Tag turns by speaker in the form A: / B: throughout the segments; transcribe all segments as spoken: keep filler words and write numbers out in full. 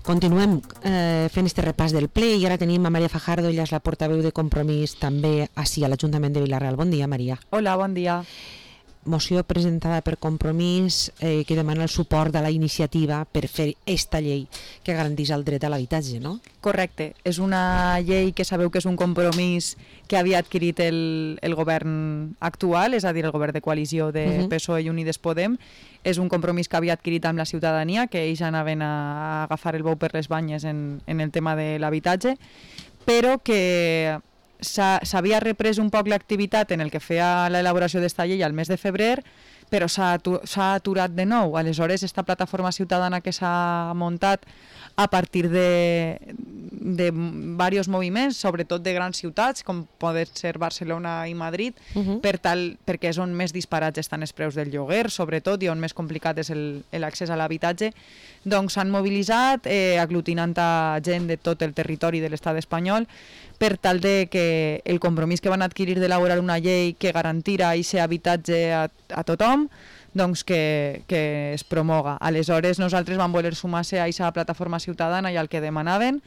A: Continuem eh, fent este repàs del ple i ara tenim a Maria Fajardo, ella és la portaveu de Compromís també ací a l'Ajuntament de Vila-real. Bon dia, Maria.
B: Hola, bon dia.
A: Moció presentada per Compromís eh, que demana el suport de la iniciativa per fer esta llei que garanteix el dret a l'habitatge, no?
B: Correcte. És una llei que sabeu que és un compromís que havia adquirit el, el govern actual, és a dir, el govern de coalició de uh-huh. P S O E i Unides Podem. És un compromís que havia adquirit amb la ciutadania, que ells anaven a agafar el bou per les banyes en, en el tema de l'habitatge, però que s'havia reprès un poc l'activitat en el que feia l'elaboració d'esta llei al mes de febrer, però s'ha aturat de nou. Aleshores, esta plataforma ciutadana que s'ha muntat a partir de, de diversos moviments, sobretot de grans ciutats, com poden ser Barcelona i Madrid, uh-huh. per tal, perquè és on més disparats estan els preus del lloguer, sobretot, i on més complicat és l'accés a l'habitatge, doncs s'han mobilitzat, eh, aglutinant a gent de tot el territori de l'estat espanyol, per tal de que el compromís que van adquirir d'elaborar una llei que garantira aquest habitatge a, a tothom, doncs que, que es promoga. Aleshores nosaltres vam voler sumar-se a aquesta plataforma ciutadana i al que demanaven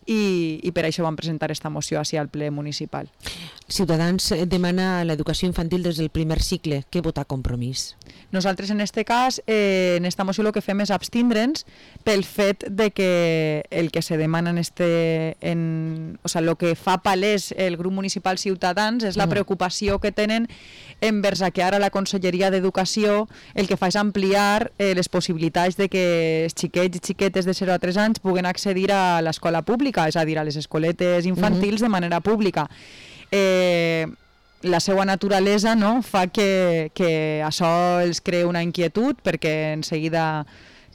B: i, i per això vam presentar esta moció així al ple municipal.
A: Ciutadans demana l'educació infantil des del primer cicle. Què vota Compromís?
B: Nosaltres en este cas, eh, en esta moció el que fem és abstindre'ns pel fet de que el que se demana en este, en, o sea, el que fa palès el grup municipal Ciutadans és la preocupació que tenen envers a que ara la Conselleria d'Educació el que fa és ampliar eh, les possibilitats de que els xiquets i xiquetes de zero a tres anys puguen accedir a l'escola pública, és a dir, a les escoletes infantils uh-huh. de manera pública. Eh, la seva naturalesa, no, fa que, que això els crea una inquietud perquè en seguida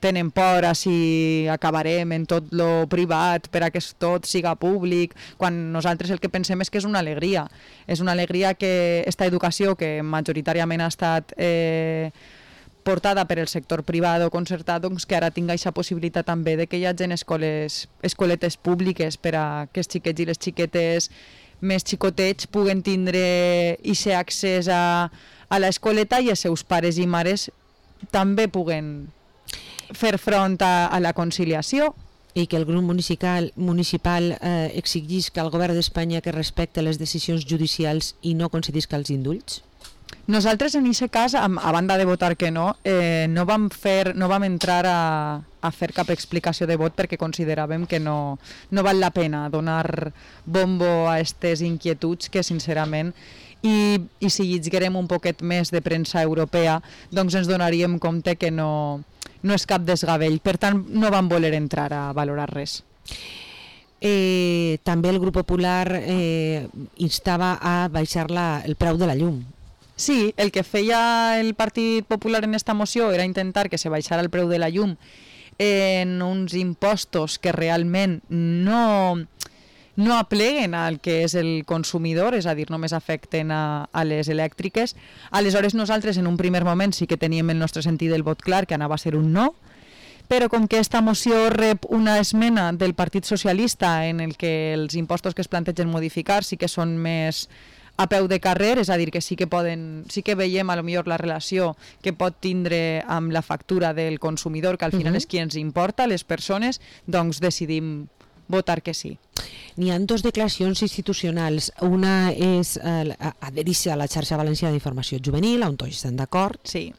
B: tenen por a si acabarem en tot lo privat per a que tot siga públic, quan nosaltres el que pensem és que és una alegria. És una alegria que esta educació que majoritàriament ha estat eh, portada per el sector privat o concertat, doncs que ara tinga aquesta possibilitat també de que hi hagi escoles, escoletes públiques per a que els xiquets i les xiquetes més xicotets puguen tindre aquest accés a, a l'escoleta i els seus pares i mares també puguen fer front a, a la conciliació.
A: I que el grup municipal, municipal eh, exigís al govern d'Espanya que respecte les decisions judicials i no concedisca els indults?
B: Nosaltres en aquest cas, a, a banda de votar que no, eh, no vam fer, no vam entrar a, a fer cap explicació de vot perquè consideràvem que no, no val la pena donar bombo a aquestes inquietuds que sincerament i, i si lliguem un poquet més de premsa europea doncs ens donaríem compte que no, no és cap desgavell, per tant no vam voler entrar a valorar res.
A: Eh, també el grup popular eh, instava a baixar la, el preu de la llum.
B: Sí, el que feia el Partit Popular en esta moció era intentar que se baixara el preu de la llum en uns impostos que realment no, no apleguen al que és el consumidor, és a dir, només afecten a, a les elèctriques. Aleshores nosaltres en un primer moment sí que teníem el nostre sentit del vot clar, que anava a ser un no, però com que esta moció rep una esmena del Partit Socialista en el que els impostos que es plantegen modificar sí que són més a peu de carrer, és a dir, que sí que poden, sí que veiem a lo millor la relació que pot tindre amb la factura del consumidor, que al final uh-huh. és qui ens importa, les persones, doncs decidim votar que sí.
A: N'hi ha dues declaracions institucionals. Una és eh, adherir-se a la xarxa valenciana d'informació juvenil, on tots estan d'acord.
B: Sí.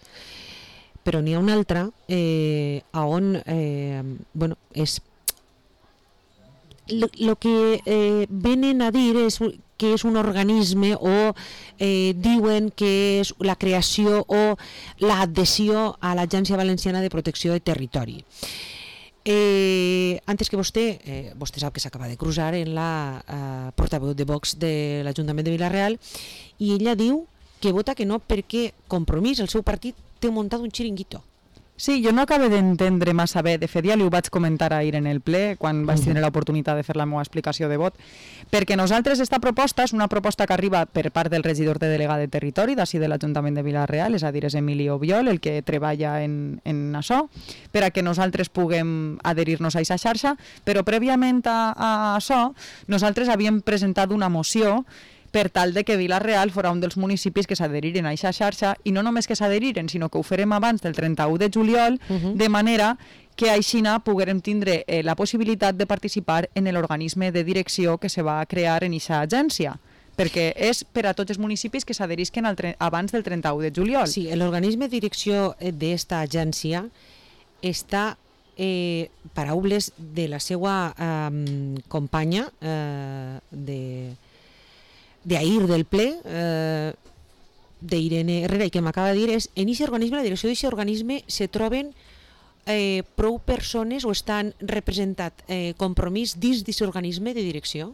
A: Però n'hi ha una altra eh, on eh, bueno, és lo, lo que eh, venen a dir és que és un organisme o eh, diuen que és la creació o l'adhesió a l'Agència Valenciana de Protecció de Territori. Eh, antes que vostè, eh, vostè sap que s'acaba de cruzar en la eh, portaveu de Vox de l'Ajuntament de Vila-real i ella diu que vota que no perquè Compromís, el seu partit, té muntat un xiringuito.
B: Sí, jo no acabo d'entendre massa bé, de fet ja li ho vaig comentar ahir en el ple, quan vaig tenir l'oportunitat de fer la meva explicació de vot, perquè nosaltres esta proposta és una proposta que arriba per part del regidor de delegat de territori d'ací de l'Ajuntament de Vila-real, és a dir, és Emili Obiol, el que treballa en, en això, per a que nosaltres puguem adherir-nos a aquesta xarxa, però prèviament a, a això, nosaltres havíem presentat una moció per tal de que Vila-real fora un dels municipis que s'adheriren a aquesta xarxa, i no només que s'adheriren, sinó que ho farem abans del trenta-u de juliol, uh-huh. de manera que aixina poguérem tindre eh, la possibilitat de participar en l'organisme de direcció que se va crear en aquesta agència, perquè és per a tots els municipis que s'adherisquen abans del trenta-u de juliol.
A: Sí, l'organisme de direcció d'esta agència està, eh, paraules de la seva eh, companya eh, de d'ahir del ple, eh, d'Irene Herrera, i que m'acaba de dir, és en aquest organisme, la direcció d'aquest organisme, se troben eh, prou persones o estan representat eh, compromís dins d'aquest organisme de direcció?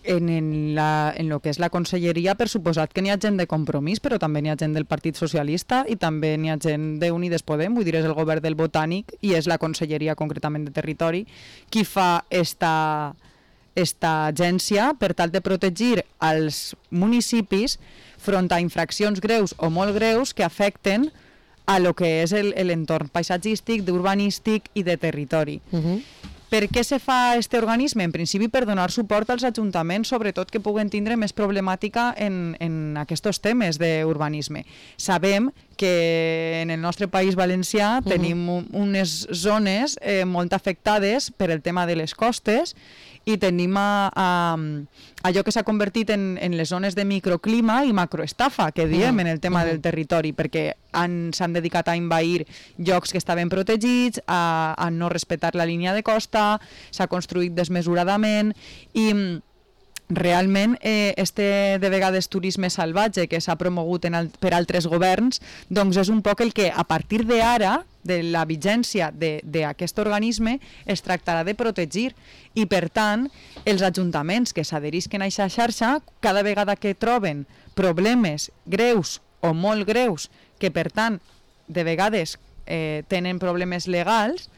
B: En, en, la, en lo que és la conselleria, per suposat que n'hi ha gent de Compromís, però també n'hi ha gent del Partit Socialista i també n'hi ha gent d'Unides Podem, vull dir, és el govern del Botànic i és la conselleria concretament de Territori qui fa esta, esta agència per tal de protegir els municipis front a infraccions greus o molt greus que afecten a lo que és l'entorn paisatgístic, d'urbanístic i de territori. Uh-huh. Per què se fa aquest organisme? En principi per donar suport als ajuntaments, sobretot que puguen tindre més problemàtica en, en aquests temes d'urbanisme. Sabem que en el nostre país valencià uh-huh. tenim unes zones eh, molt afectades per el tema de les costes i tenim a, a, allò que s'ha convertit en, en les zones de microclima i macroestafa, que diem uh-huh. en el tema uh-huh. del territori, perquè s'han dedicat a envair llocs que estaven protegits, a, a no respectar la línia de costa, s'ha construït desmesuradament i realment eh, este de vegades turisme salvatge que s'ha promogut en al, per altres governs, doncs és un poc el que a partir d'ara, de la vigència d'aquest organisme, es tractarà de protegir i per tant els ajuntaments que s'adherisquen a aquesta xarxa, cada vegada que troben problemes greus o molt greus, que per tant de vegades eh, tenen problemes legals,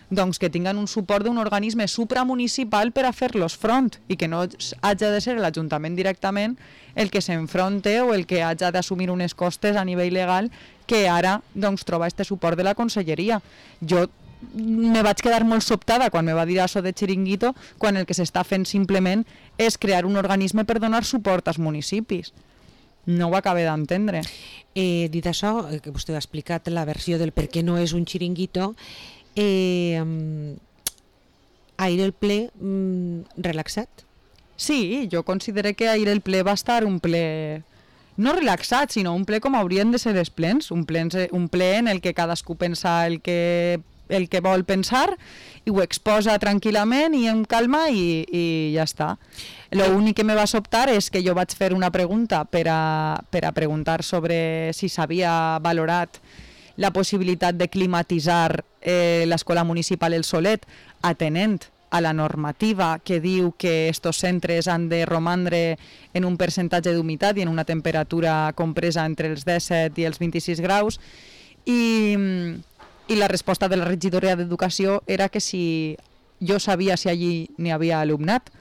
B: doncs que tinguen un suport d'un organisme supramunicipal per a fer-los front i que no hagi de ser l'Ajuntament directament el que s'enfronte o el que hagi d'assumir unes costes a nivell legal que ara doncs, troba este suport de la conselleria. Jo me vaig quedar molt sobtada quan me va dir això de xiringuito, quan el que s'està fent simplement és crear un organisme per donar suport als municipis. No ho acabé d'entendre.
A: Eh, dit això, que vostè ha explicat la versió del per què no és un xiringuito, Eh, ahir el ple mm, relaxat?
B: Sí, jo considero que ahir el ple va estar un ple no relaxat, sinó un ple com haurien de ser els plens, un ple, un ple en el que cadascú pensa el que, el que vol pensar i ho exposa tranquil·lament i en calma i, i ja està. L'únic que me va sobtar és que jo vaig fer una pregunta per a, per a preguntar sobre si s'havia valorat la possibilitat de climatitzar eh, l'escola municipal El Solet atenent a la normativa que diu que estos centres han de romandre en un percentatge d'humitat i en una temperatura compresa entre els disset i els vint-i-sis graus i, i la resposta de la regidoria d'Educació era que si jo sabia si allí n'hi havia alumnat.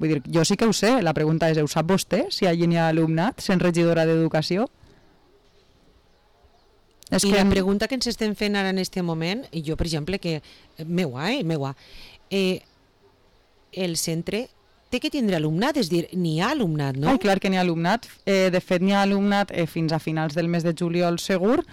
B: Vull dir, jo sí que ho sé, la pregunta és, ho sap vostè si allí n'hi ha alumnat sent regidora d'Educació?
A: És I que... la pregunta que ens estem fent ara en aquest moment, i jo, per exemple, que meua, eh, meua, eh, el centre té que tindre alumnat, és dir, n'hi ha alumnat, no?
B: Ai, clar que n'hi ha alumnat. Eh, de fet, n'hi ha alumnat eh, fins a finals del mes de juliol segur,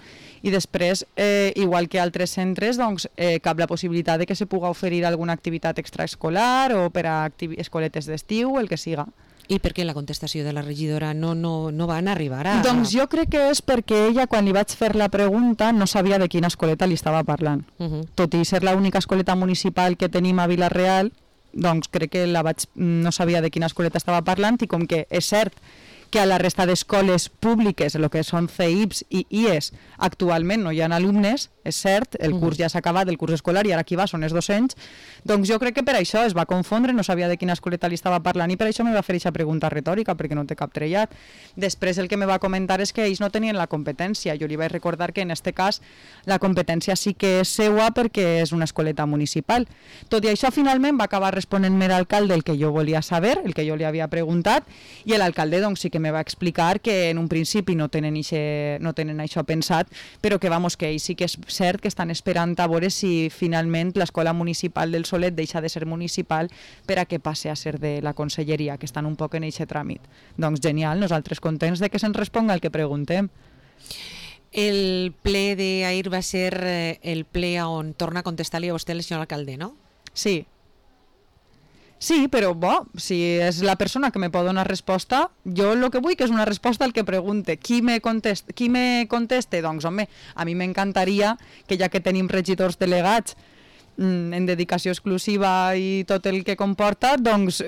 B: i després, eh, igual que altres centres, doncs, eh, cap la possibilitat de que se pugui oferir alguna activitat extraescolar o per a escoletes d'estiu, el que siga.
A: I per què la contestació de la regidora no, no, no van arribar a...
B: Doncs jo crec que és perquè ella, quan li vaig fer la pregunta, no sabia de quina escoleta li estava parlant. Uh-huh. Tot i ser l'única escoleta municipal que tenim a Vila-real, doncs crec que la vaig, no sabia de quina escoleta estava parlant i com que és cert que a la resta d'escoles públiques, el que són C I Ps i I E S, actualment no hi ha alumnes, és cert, el curs ja s'ha acabat, el curs escolar, i ara qui va són els docents, doncs jo crec que per això es va confondre, no sabia de quina escoleta li estava parlant i per això me va fer aquesta pregunta retòrica, perquè no té cap trellat. Després el que me va comentar és que ells no tenien la competència. Jo li vaig recordar que en aquest cas la competència sí que és seua perquè és una escoleta municipal. Tot i això, finalment va acabar responent-me l'alcalde el que jo volia saber, el que jo li havia preguntat, i l'alcalde doncs sí que que me va explicar que en un principi no tenen, ixe, no tenen això pensat, però que, vamos, que sí que és cert que estan esperant a veure si finalment l'escola municipal del Solet deixa de ser municipal per a que passe a ser de la conselleria, que estan un poc en aquest tràmit. Doncs genial, nosaltres contents de que se'ns responga el que preguntem.
A: El ple d'ahir va ser el ple on torna a contestar-li a vostè el senyor alcalde, no?
B: Sí. Sí, però bo, si és la persona que me pot donar resposta, jo el que vull que és una resposta al que pregunte. Qui me conteste? Qui me conteste? Doncs, home, a mi m'encantaria que ja que tenim regidors delegats en dedicació exclusiva i tot el que comporta, doncs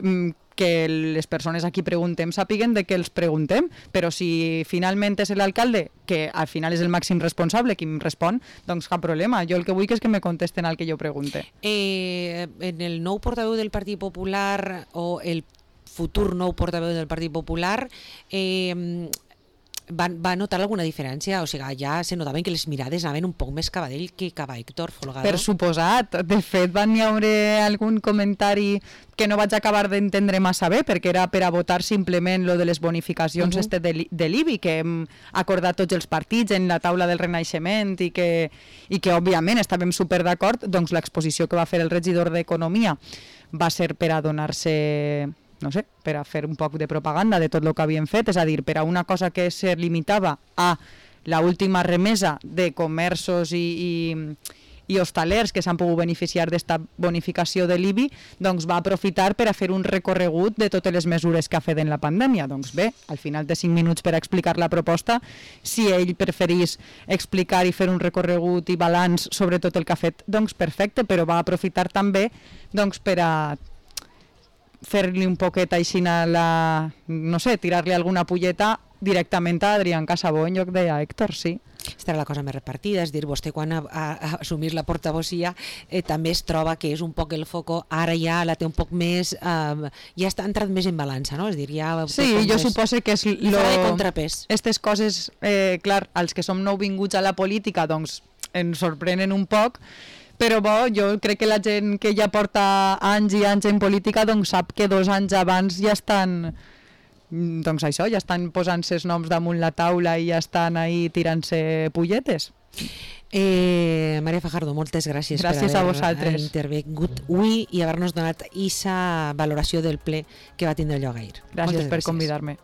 B: que les persones a qui preguntem sàpiguen de què els preguntem, però si finalment és l'alcalde, que al final és el màxim responsable qui em respon, doncs cap problema. Jo el que vull que és que me contesten al que jo pregunte.
A: Eh, en el nou portaveu del Partit Popular o el futur nou portaveu del Partit Popular eh, va, va notar alguna diferència? O sigui, ja se notaven que les mirades anaven un poc més cap a ell que cap a Héctor Folgado.
B: Per suposat. De fet, van hi haure algun comentari que no vaig acabar d'entendre massa bé, perquè era per a votar simplement lo de les bonificacions uh-huh. este de, de l'I B I, que hem acordat tots els partits en la taula del Renaixement i que, i que òbviament estàvem super d'acord, doncs l'exposició que va fer el regidor d'Economia va ser per a donar-se, no sé, per a fer un poc de propaganda de tot el que havien fet, és a dir, per a una cosa que se limitava a la última remesa de comerços i, i, i hostalers que s'han pogut beneficiar d'esta bonificació de l'I B I, doncs va aprofitar per a fer un recorregut de totes les mesures que ha fet en la pandèmia. Doncs bé, al final de cinc minuts per a explicar la proposta, si ell preferís explicar i fer un recorregut i balanç sobre tot el que ha fet, doncs perfecte, però va aprofitar també doncs, per a fer-li un poquet així a la, no sé, tirar-li alguna pulleta directament a Adrián Casabó en lloc de a Héctor, sí.
A: Esta era la cosa més repartida, és dir, vostè quan ha, ha, ha assumit la portavocia eh, també es troba que és un poc el foco, ara ja la té un poc més, eh, ja està entrat més en balança, no? És dir, ja...
B: Sí, jo més... suposo que és lo...
A: de contrapès.
B: Estes coses, eh, clar, als que som nouvinguts a la política, doncs ens sorprenen un poc, però bo, jo crec que la gent que ja porta anys i anys en política doncs sap que dos anys abans ja estan, doncs això, ja estan posant-se els noms damunt la taula i ja estan ahí tirant-se pulletes.
A: Eh, Maria Fajardo, moltes gràcies,
B: gràcies
A: per
B: haver
A: intervingut avui i haver-nos donat aquesta valoració del ple que va tindre lloc ahir.
B: Gràcies moltes per convidar-me.